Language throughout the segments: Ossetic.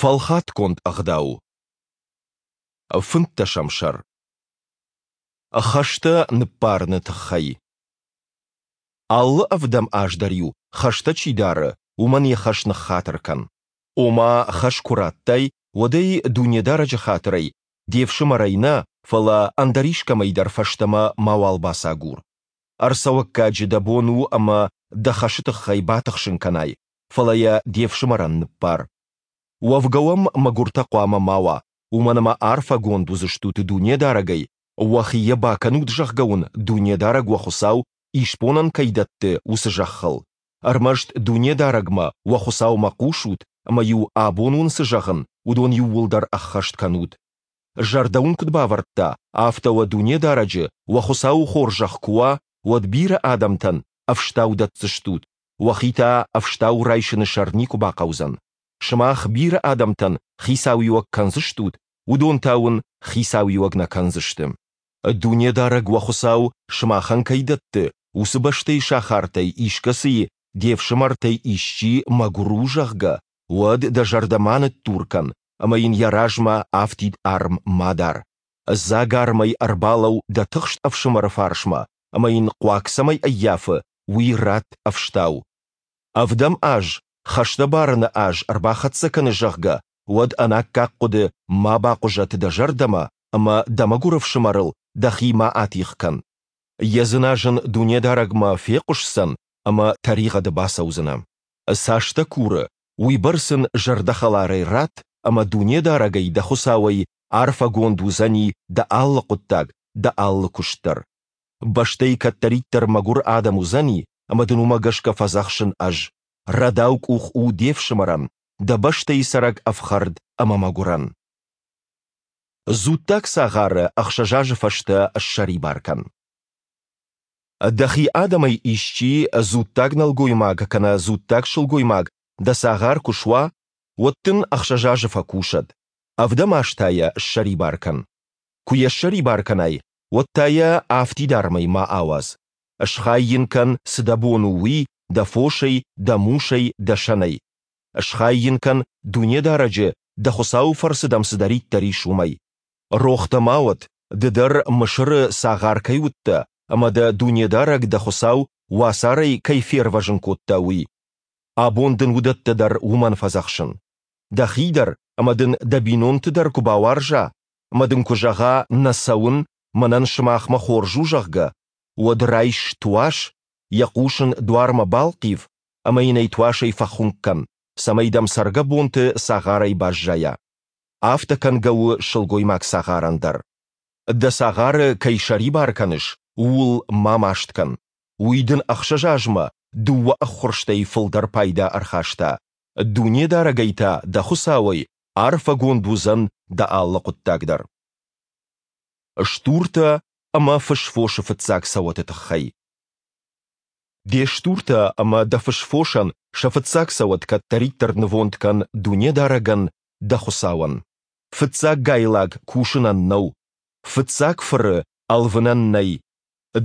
Фӕлхатгонд ӕгъдау. Фынддӕсӕм сӕр. Хӕстӕ ныппарыны тыххӕй. Алы ӕвдӕм аз дӕр-иу, хӕстӕ чи дары, уымӕн йӕ хӕс ныххатыр кӕн. Ома хӕс куы радтай, уӕд ӕй Дунедарӕджы хатырӕй, де фсымӕрӕй нӕ, фӕлӕ ӕндӕр искӕмӕй дӕр фӕстӕмӕ мауал бацагур. Ӕрцӕуӕггаджы дӕ бон у ӕмӕ дӕ хӕсы тыххӕй батыхсын кӕнай, фӕлӕ йӕ де фсымӕрӕн ныббар. Уӕвгӕ уӕм мӕгуыртӕ хъуамӕ ма уа, уымӕн ӕмӕ арфӕгонд уыдзыстут Дунедарӕгӕй, уӕхи йӕ бакӕнут, зӕгъгӕ уын Дунедарӕг уӕ Хуыцау исбонӕн кӕй дӕтты, уыцы зӕххыл. Ӕрмӕст Дунедарӕгмӕ, уӕ Хуыцаумӕ хъусут ӕмӕ-иу абон уын цы зӕгъын, уыдон иууылдӕр ӕххӕст кӕнут. Зӕрдӕ уын куыд бавӕрдта, афтӕ уӕ Дунедарӕджы, уӕ Хуыцауы хорзӕх куы уа, уӕд бирӕ адӕмтӕн ӕфстау дӕтдзыстут, уӕхи та ӕфстау райсыны сӕр никуы бахъӕудзӕн. Сымах бирӕ адӕмтӕн хицауиуӕг кӕндзыстут, уыдон та уын хицауиуӕг нӕ кӕндзысты. Дунедарӕг уӕ Хуыцау сымахӕн кӕй дӕтты, уыцы бӕстӕйы сахартӕй искӕцыйы де фсымӕртӕй исчи мӕгуыр у, зӕгъгӕ, уӕд дӕ зӕрдӕ ма ныддур кӕн ӕмӕ йын йӕ размӕ афтид арм ма дар. Дзагармӕй ӕрбалӕуу дӕ тыхст ӕфсымӕры фарсмӕ ӕмӕ йын хъуаг цӕмӕй ӕййафы, уый ратт ӕфстау. Ӕвдӕм аз, хӕстӕ барыны аз ӕрбахӕццӕ кӕны, зӕгъгӕ, уӕд ӕнаккаг хъуыды ма бахъуызӕд дӕ зӕрдӕмӕ ӕмӕ дӕ мӕгуыр ӕфсымӕрыл дӕхи ма атигъ кӕн. Йӕ дзыназын Дунедарӕгмӕ фехъуысдзӕн ӕмӕ тӕригъӕды бацӕудзынӕ. Цас дӕ куры, уыйбӕрц ын зӕрдӕхӕларӕй ратт ӕмӕ Дунедарӕгӕй дӕ Хуыцауӕй арфӕгонд уыдзӕни дӕ алы хъуыддаг, дӕ алы куыст дӕр. Бӕстӕйы кӕддӕриддӕр мӕгуыр адӕм уыдзӕни, ӕмӕ дын уымӕ гӕсгӕ фӕдзӕхсын ӕз, рӕдау къух у де фсымӕрӕн, дӕ бӕстӕйы цӕрӕг ӕфхӕрд ӕмӕ мӕгуырӕн. Дзуттаг цагъары ӕхсӕз азы фӕстӕ ссӕрибар кӕн. Дӕхи адӕмӕй исчи дзуттаг нӕлгоймаг кӕнӕ дзуттаг сылгоймаг дӕ цагъар куы суа, уӕд дын ӕхсӕз азы фӕкусӕд, ӕвдӕм аз та йӕ ссӕрибар кӕн. Куы йӕ ссӕрибар кӕнай, уӕд та йӕ афтидармӕй ма ауадз. Схай йын кӕн, цы дӕ бон у, уый, дӕ фосӕй, дӕ мусӕй, дӕ сӕнӕй. Схай йын кӕн, Дунедарӕджы, дӕ Хуыцауы фӕрцы дӕм цыдӕриддӕр ис, уымӕй. Рох дӕ ма уӕд, ды дӕр Мысыры цагъар кӕй уыдтӕ ӕмӕ дӕ Дунедарӕг дӕ Хуыцау уацарӕй кӕй фервӕзын кодта, уый. Абон дын уыдӕттӕ дӕр уымӕн фӕдзӕхсын. Дӕхи дӕр ӕмӕ дын дӕ бинонты дӕр куы бауарза ӕмӕ дын куы зӕгъа, нӕ цӕуын, мӕнӕн сымахмӕ хорз у, зӕгъгӕ, уӕд райс туас, йӕ хъус ын дуармӕ балхъив ӕмӕ йын ӕй туасӕй фӕхуынкъ кӕн, цӕмӕй дӕм цӕргӕбонты цагъарӕй баззайа. Афтӕ кӕнгӕ у сылгоймаг цагъарӕн дӕр. Дӕ цагъары кӕй сӕрибар кӕныс, ууыл ма маст кӕн. Уый дын ӕхсӕз азмӕ дыууӕ ӕххуырстӕй фылдӕр пайда ӕрхаста. Дунедарӕгӕй та, дӕ Хуыцауӕй, арфӕгонд уыдзӕн дӕ алы хъуыддаг дӕр. Стуртӕ ӕмӕ фысфосы фыццаг цӕуӕты тыххӕй. Де стуртӕ ӕмӕ дӕ фысфосӕн сӕ фыццаг цӕуӕт кӕддӕриддӕр нывонд кӕн Дунедарӕгӕн, дӕ Хуыцауӕн. Фыццаг гайлаг кусынӕн нӕу, фыццаг фыры ӕлвынӕн нӕй.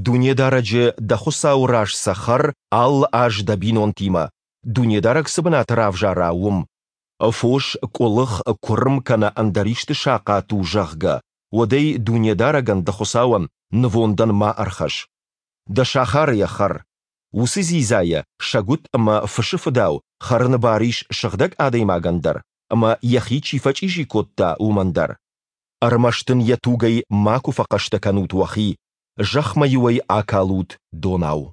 Дунедарӕджы, дӕ Хуыцауы раз сӕ хӕр алы аз дӕ бинонтимӕ, Дунедарӕг цы бынат равзара, уым. Фос къуылых, куырм кӕнӕ ӕндӕр исты сахъат у, зӕгъгӕ, уӕд ӕй Дунедарӕгӕн дӕ Хуыцауӕн нывондӕн ма ӕрхӕсс. Дӕ сахары йӕ хӕр. Уыцы дзидзайӕ сӕгуыт ӕмӕ фысы фыдау хӕрыны бар ис сыгъдӕг адӕймагӕн дӕр ӕмӕ йӕхи чи фӕчъизи кодта, уымӕн дӕр. Ӕрмӕст ын йӕ тугӕй макуы фӕхъӕстӕ кӕнут уӕхи, зӕхмӕ-иу ӕй акалут донау.